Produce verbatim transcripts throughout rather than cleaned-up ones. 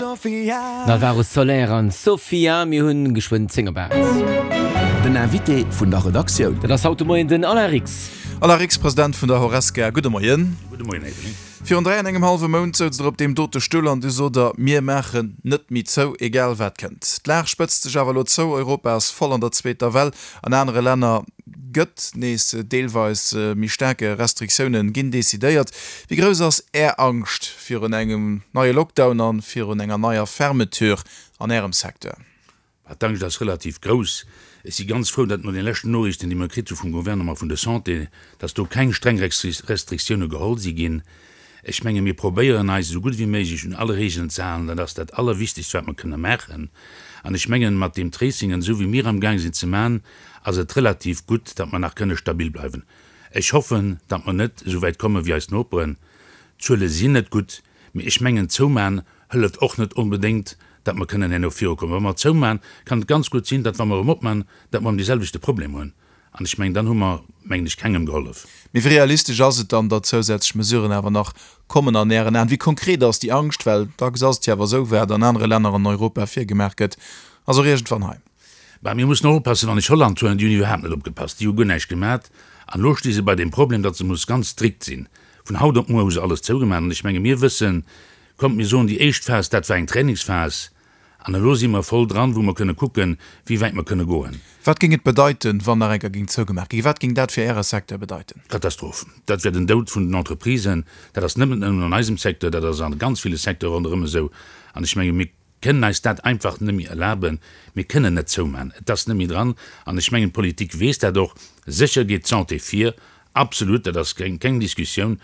Alvaro Soler an Sofia, mir hunn geschwënn zéng op aacht. Den Invité vun der Redaktioun. Dat ass haut de Moien den Alain Rix. Alain Rix, President vun der Horesca, gudde Moien. Gudde Moien, Här Ebling. Virun dräi an engem hallwe Mount souz Der op deem dote Stull an du sot Der, Mir maachen net méi zou, egal wat kënnt. D'Lag spëtzt sech awer elo zou, Europa ass voll an der zweeter Well, an anere Länner gëtt nees deelweis méi staarke Restriktiounen ginn decidéiert. Wéi grouss ass Är Angscht virun engem neie Lockdown a virun enger neier Fermeture an Ärem Secteur? D'Angscht ass relativ grouss. Ech si ganz frou, datt no den leschten Noriichten, déi mer kritt hu vum Gouvernement, vun der Santé, datt do keng streng Restriktioune geholl si ginn. Ech menge mir probéieren eis esou gutt wéi méiglech un alle Regeln ze halen. Dat ass dat Allerwichtegst, wat mer kënne maachen. An ech mengen, mat deem Tracing an esou wéi mir amgaang sinn ze maachen, ass et relativ gutt, datt mer nach kënne stabil bleiwen. Ech hoffen, datt mer net esou wäit komme wéi eis Noperen. D'Zuele sinn net gutt, mee ech mengen, zoumachen hëlleft och net onbedéngt, datt mer kënnen herno virukommen. Wa mer zoumachen, kann et ganz gutt sinn, datt wa mer erëm opmachen, datt mer erëm deeselwechte Problem hunn. An ech mengen, dann hu mer, mengen ech, kengem gehollef. Mee wéi realistesch ass et dann, datt zousätzlech Mesuren awer nach kommen an Ären Aen? Wéi konkret ass déi Angscht? Well dacks ass et jo awer esou, wat an anere Länner an Europa virgemaach gëtt, ass och iergendwann hei. Bah, mir mussen och oppassen, wann ech Holland huelen, déi hunn iwwerhaapt net opgepasst, déi hu guer näischt gemat. An elo sti se bei deem Problem, datt se muss ganz strikt sinn. Vun haut op muer hu se alles zougemaach. An ech menge mir wëssen, kommt mir soen, déi éischt Phas, dat war eng Trainingsphas, an elo si mer voll dran, wou mer kënne kucken, wéi wäit mer kënne goen. Wat géing et bedeiten, wann nach eng Kéier géing zougemaach ginn? Wat géing dat fir Äre Secteur bedeiten? Katastroph. Dat wär den Doud vun den Entreprisen. Dat ass net nëmmen an eisem Secteur, dat ass a ganz ville Secteure ronderëm esou. An ech menge mir kënnen eis dat einfach net méi erlaben. Mir kënnen net zoumachen. Et ass net méi dran. An ech mengen, d'Politik weess dat och. Sécher geet d'Santé vir. Absolut, dat ass keng keng Diskussioun.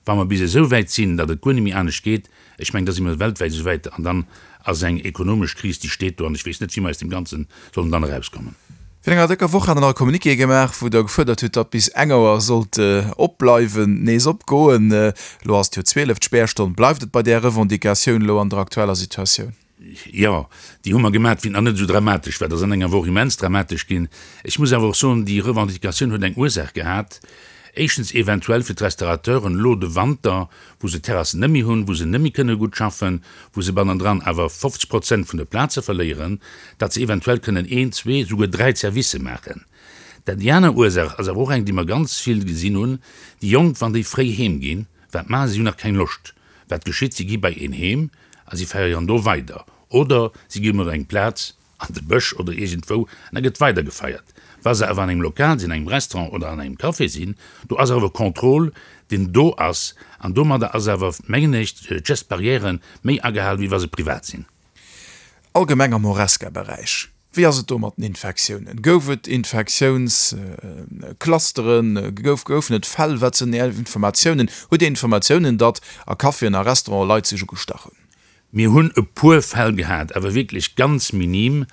Wa mer bis esou wäit sinn, datt et guer net méi anescht geet, ech mengen, da si mer weltwäit esou wäit an dann ass eng ekonomesch Kris, déi steet do an ech weess net, wéi mer aus deem Ganze sollen dann erauskommen. Virun enger décker Woch hat Der nach e Communiqué gemaach, wou Der gefuerdert hutt, datt bis eng Auer sollt opbleiwen, nees opgoen. Elo ass et jo zwielef, d'Spärstonn. Bleift et bei där Revendicatioun elo an der aktueller Situatioun? Jo, déi hu mer gemat, wéi et nach net esou dramatesch war. Dat ass an enger Woch immens dramatesch ginn. Ech muss awer och soen, déi Revendicatioun huet eng Ursaach gehat. Éischtens eventuell fir d'Restaurateuren elo de Wanter, wou se d'Terrassen net méi hunn, wou se net méi kënne gutt schaffen, wou se bannendran awer fofzeg Prozent vun de Plaze verléieren, datt se eventuell kënnen een, zwee, souguer dräi Servicë maachen. Dat déi aner Ursaach ass awer och eng, déi mer ganz vill gesinn hunn, Déi Jonk, wann déi fréi heem ginn, wat maache se? Si hunn nach keng Loscht. Wat geschitt? Si gi bei een heem a si feieren do weider oder si gi op eng Plaz an de Bësch oder iergendwou an da gëtt weider gefeiert. Wa se awer an engem Lokal sinn, an engem Restaurant oder an engem Café sinn, do ass awer e Contrôle, deen do ass an domadder ass awer, mengen ech, d'Gestes barrières méi agehal, wéi wa se privat sinn. Allgemeng am Horesca-Beräich, wéi ass et do mat den Infektiounen? Gouf et Infektiounsclusteren? Gouf, goufen et Fäll? Wat sinn Är Informatiounen? Hutt Dir Informatiounen, datt a Caféen a Restauranten Leit sech ugestach hunn? Mir hunn e puer Fäll gehat, awer wierklech ganz minim,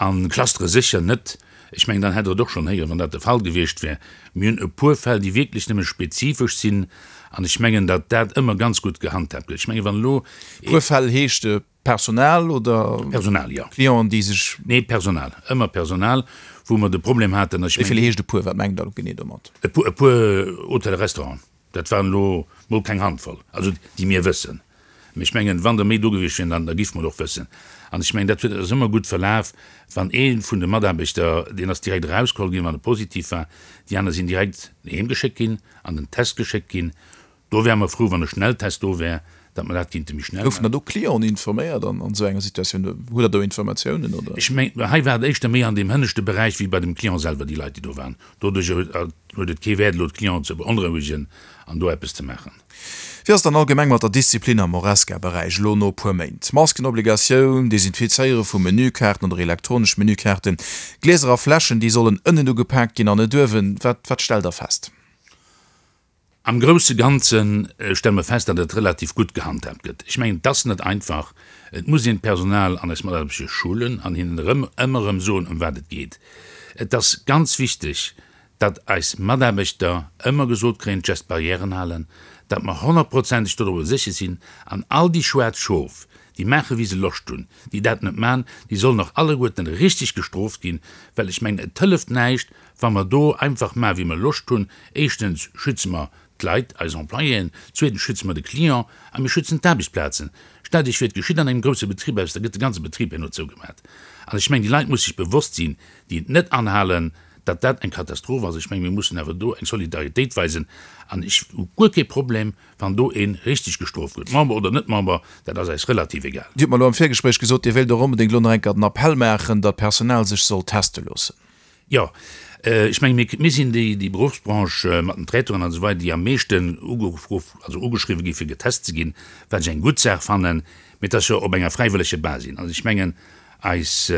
a Clustere sécher net. Ech mengen, dann hätt Der et och schonn héieren, wann dat de Fall gewiescht wär. Mir hunn e puer Fäll, déi wierklech nëmme spezifesch sinn, an ech mengen, datt dat ëmmer ganz gutt gehandhaabt gëtt. Ech mengen, wann elo E puer Fäll heescht Personal oder Personal, jo. Clienten, déi sech. Nee, Personal, ëmmer Personal, wou mer de Problem haten. Wéi vill heescht e puer? Wat mengt Der elo genee domat? E puer, e puer Hotelle, Restauranten. Dat waren elo mol keng Handvoll, also déi mir wëssen. Mee ech mengen, wann der méi do gewiescht wieren, dann da giffe mer et och wëssen. An ech mengen, dat huet ass ëmmer gutt verlaf, wann ee vun de Mataarbechter, deen ass direkt erausgeholl ginn, wann e positiv war, déi aner sinn direkt heem geschéckt ginn, an den Test geschéckt ginn. Do wäre mer frou, wann e Schnelltest do wär, datt mer dat kinnte méi schnell Goufen maachen. da do Clienten informéiert an esou enger Situatioun? Hutt Der do Informatiounen, oder? Ech mengen, hei war et éischter méi an deem hënneschte Beräich wéi bei dem Client selwer, déi Leit, déi do waren. Doduerch huet et kee Wäert, elo d'Clienten ze beonrouegen an do eppes ze maachen. Wéi ass et dann allgemeng mat der Disziplin am Horesca-Beräich elo no e puer Méint? Maskenobligatioun, Desinfizéiere vu Menükaarten oder elektronesch Menükaarten, Glieser a Fläschen, déi sollen ënnen ugepaakt ginn an net uewen. Wat wat stellt Der fest? Am grousse Ganze stelle mer fest, datt et relativ gutt gehandhaabt gëtt. Ech mengen, et ass net einfach. Et muss een d'Personal an eis Mataarbechter schulen an hinnen erëm ëmmer erëm soen, ëm wat et geet. Et ass ganz wichteg, datt eis Mataarbechter ëmmer gesot kréien, d'Gestes barrièren halen, datt mer honnertprozenteg dodrower sécher sinn, an all déi schwaarz Schof, déi maache wéi se Loscht hunn, déi dat net maachen, déi sollen och alleguerten richteg gestrooft ginn, well ech mengen, et hëlleft näischt, wa mer do einfach maache wéi mer Loscht hunn. Éischtens schütze mer d'Leit, eis Employéen, zweetens schütze mer de Client a mir schützen d'Aarbechtsplazen. Stellt Iech vir, et geschitt an engem grousse Betrib eppes, da gëtt de ganze Betrib herno zougemat. An ech mengen, déi Leit musse sech bewosst sinn, déi et net anhalen, datt dat eng Katastroph ass. Ech mengen, mir mussen awer do eng Solidaritéit weisen. An ech hu guer kee Problem, wann do ee richteg gestrooft gëtt, Member oder net Member, dat ass eis relativ egal. Dir hutt mer elo am Virgespréich gesot, Dir wéilt och onbedéngt elo nach eng Kéier den Appell maachen, datt d'Personal sech soll teste loossen. Jo, ech menge mir, mir sinn déi, déi Beruffsbranche mat den Traiteuren an esou weider, déi am meeschten ugeruff, also ugeschriwwe gi fir getest ze ginn, wat ech eng gutt Saach fannen, mee et ass jo op enger fräiwëlleger Basis. Also ech mengen, eis,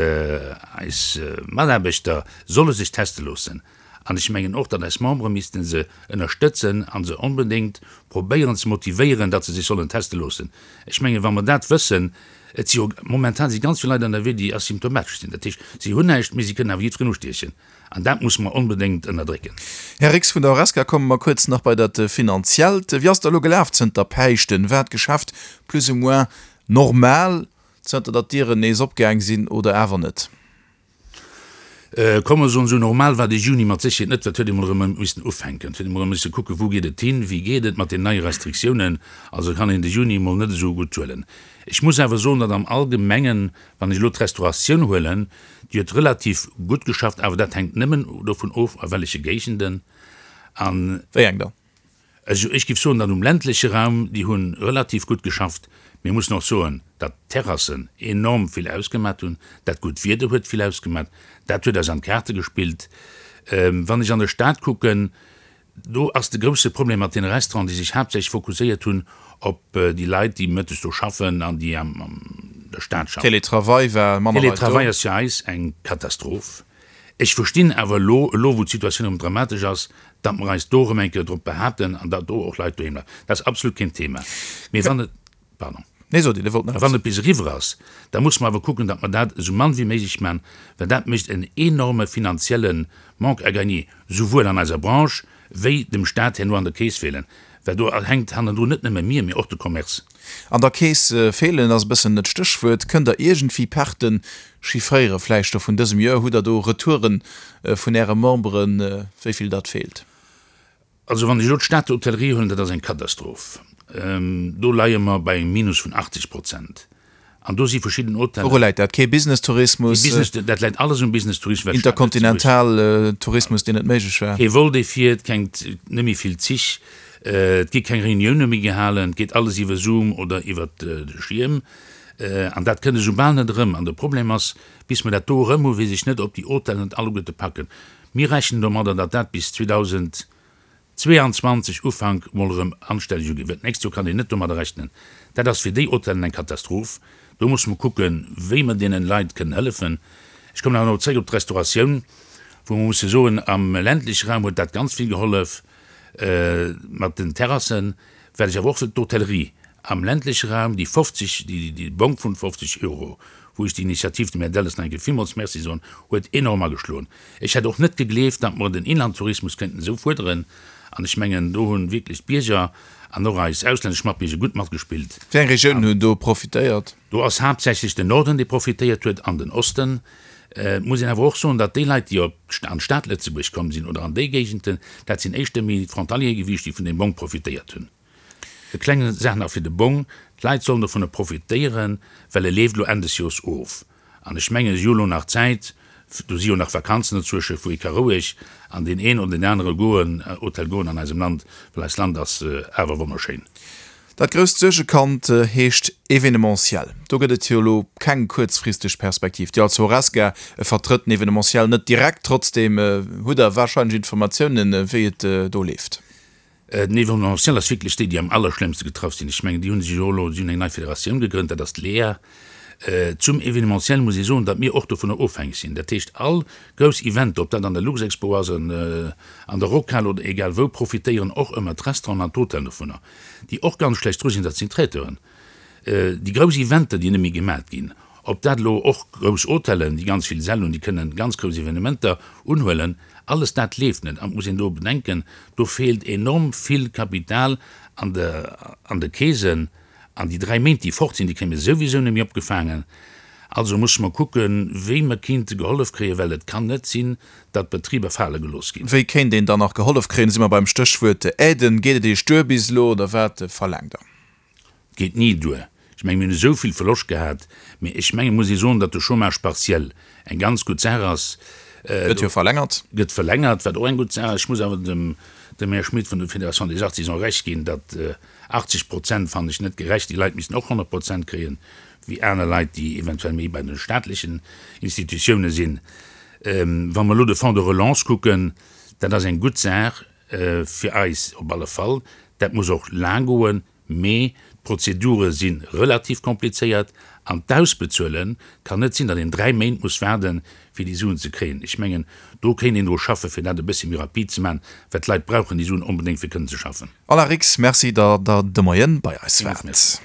eis Mataarbechter solle sech teste loossen an ech mengen och, datt eis Membere misste se ënnerstëtzen a se onbedéngt probéieren ze motivéieren, datt se sech sollen teste loossen. Ech mengen, wa mer dat wëssen, Et si jo momentan si ganz vill Leit ënnerwee, déi asymptomatesch sinn. Dat heescht, si hunn näischt, mee si kënnen awer jiddwereen ustiechen. An dat musse mer onbedéngt ënnerdrécken. Här Rix vun der Horesca, komme mer kuerz nach bei dat Finanziellt. Wéi ass et elo gelaf zënter Päischten? War d'Geschäft plus ou moins normal, zënter datt d'Dieren nees opgaang sinn, oder awer net? Komm mer soen esou, normal war de Juni mat Sécherheet net, well et huet ee mol erëm missen ufänken, et huet ee mol erëm misse kucken, wou geet et hin, wéi geet et mat den neie Restriktiounen. Also kann een de Juni emol net esou gutt huelen. Ech muss awer soen, datt am Allgemengen, wann ech elo d'Restauratioun huelen, déi huet relativ gutt geschafft, awer dat hänkt nëmmen dovun of, a welleche Géigenden an. Wéi eng dann? Also ech géif soen, datt um ländleche Raum, déi hu relativ gutt geschafft. Mir mussen och soen, datt d'Terrassen enorm vill ausgemat hunn. Dat gutt Wieder huet vill ausgemat. Dat huet eis an d'Kaarte gespillt. Wann ech an der Stad kucken, do ass de grousse Problem mat deene Restauranten, déi sech haaptsächlech fokusséiert hunn op déi Leit, déi mëttes do schaffen an déi an der Stad schaffen. Télétravail war manner Leit do. Télétravail ass fir eis eng Katastroph. Ech verstinn awer elo, elo wou d'Situatioun erëm dramatesch ass, datt mer eis do erëm eng Kéier drop behaapten an datt do och Leit doheem bleiwen. Dat ass absolut keen Thema. Mee wann et, pardon, Nee, sot Dir, Dir wollt nach wann eppes. et bis eriwwer ass, da musse mer awer kucken, datt mer dat esou mann wéi méiglech maachen, well dat mécht en enorme finanzielle Manque à gagner, souwuel an eiser Branche wéi dem Stat herno an der Keess feelen, well do hänkt hannendrun net nëmme mir, mee och de Commerce. An der Keess feelen ass e bëssen et Stéchwuert. Kënnt Der iergendwéi Perten chiffréieren, vläicht scho vun dësem Joer? Hutt Der do Retouren vun Äre Memberen, wéi vill dat feelt? Also wann ech elo d'Stater Hotellerie huelen, dat ass eng Katastroph. Do leie mer bei engem Minus vun achtzeg Prozent. An do si verschidden Hotellen. Wouru läit dat? Kee Business-Tourismus? Kee Business, dat läit alles um Business-Tourismus, well d'Stad Lëtzebuerg. Interkontinental-Tourismus, deen net méiglech war? Kee Vol, dee fiert, keng, net méi vill Zich, et gi keng Reunioune méi gehalen, et geet alles iwwer Zoom oder iwwer de Schierm. An dat kënnt esou bal net erëm. An de Problem ass, bis mer dat do erëm hunn, weess ech net, ob déi Hotellen et alleguerte packen. Mir rechnen domadder, datt dat bis zweedausend zweeanzwanzeg Ufank mol erëm anstänneg uginn wëll. D'nächst Joer kann een net domadder rechnen. Dat ass fir déi Hotellen eng Katastroph. Do musse mer kucken, wéi mer deenen Leit kënnen hëllefen. Ech kommen awer nach zréck op d'Restauratioun, wou mer musse soen, am ländleche Raum huet dat ganz vill gehollef mat den Terrassen. Wat ech awer och wëll, d'Hotellerie am ländleche Raum, déi fofzeg, déi Bong vun fofzeg Euro, wou ech déi Initiativ dem Här Delles nach eng Kéier villmools Merci soen, huet enorm ageschloen. Ech hätt och net gegleeft, datt mer den Inlandtourismus kéinten esou fuerderen. An ech mengen, do hu wierklech d'Bierger an och eis auslännesch Matbierger gutt matgespillt. Wéi eng Regiounen hunn do profitéiert? Do ass haaptsächlech den Norden, dee profitéiert huet, an den Osten. Et muss een awer och soen, datt déi Leit, déi op an d'Stad Lëtzebuerg komm sinn oder an déi Géigenden, dat sinn éischter méi d'Frontaliere gewiescht, déi vun deem Bong profitéiert hunn. E kleng Saach nach fir de Bong, D'Leit sollen dovunner profitéieren, well e leeft elo Enn des Joers of. An ech mengen, si hu elo nach Zäit, do si jo nach Vakanzen dozwësche, wou ee ka roueg an deen een oder deen anere goen, Hotel goen an eisem Land, well eist Land ass awer wonnerschéin. Dat grousst Suergekand heescht Evenementiel. Do gëtt et jo elo keng kuerzfristeg Perspektiv. Dir als Horesca vertrëtt den Evenementiel net direkt, trotzdeem hutt Der warscheinlech Informatiounen, wéi et do leeft. Den Evenementiel ass wierklech déi, déi am allerschlëmmste getraff sinn. Ech mengen, déi hu sech jo elo, si hunn eng nei Federatioun gegrënnt, dat ass d'LEA. Zum Evenementiel muss ee soen, datt mir och dovunner ofhängeg sinn. Dat heescht, all grouss Eventer, ob dat an der Luxexpo ass, an der Rockhal oder egal wou, profitéieren och ëmmer d'Restauranten an d'Hotellen dovunner. Déi och ganz schlecht dru sinn, dat sinn d'Traiteuren. Déi grouss Eventer, déi net méi gemat ginn, ob dat elo och grouss Hotellen, déi ganz vill Säll hunn, déi kënnen ganz grouss Evenementer unhuelen, alles dat leeft net. An et muss een do bedenken, do feelt enorm vill Kapital an de an de Keesen. An déi dräi Méint, déi fort sinn, déi kréie mir souwisou net méi opgefaangen. Also musse mer kucken, wéi mer kéinte gehollef kréien, well et kann net sinn, datt d'Betriber fale gelooss ginn. Wéi kéint een dann nach gehollef kréien? Da si mer beim Stéchwuert Aiden. Geet et Iech duer bis elo oder wat verlaangt Der? Geet ni duer. Ech Ech mengen, mir hunn esou vill Verloscht gehat, mee ech mengen, muss ee soen, datt de Chômage partiel eng ganz gutt Saach ass. Gëtt jo verlängert. Gëtt verlängert, wat och eng gutt Saach ass. Ech muss awer dem, dem Här Schmit vun der Fédération des Artisans Recht ginn, datt achtzeg Prozent fannen ech net gerecht. Déi Leit missten och honnert Prozent kréien, wéi aner Leit, déi eventuell méi bei de staatlechen Institutioune sinn. Wa mer elo de Fonds de relance kucken, dat ass eng gutt Saach fir eis op alle Fall. Dat muss och laang goen, mee d'Prozedure si relativ komplizéiert an d'Ausbezuele kann net sinn, datt een dräi Méint muss waarden, fir déi Suen ze kréien. Ech mengen, do kéint een dru schaffen, fir dat e bëssi méi rapid ze maachen, well d'Leit brauchen déi Suen onbedéngt, fir kënnen ze schaffen. Alain Rix, Merci, datt Der de Moien bei eis waart.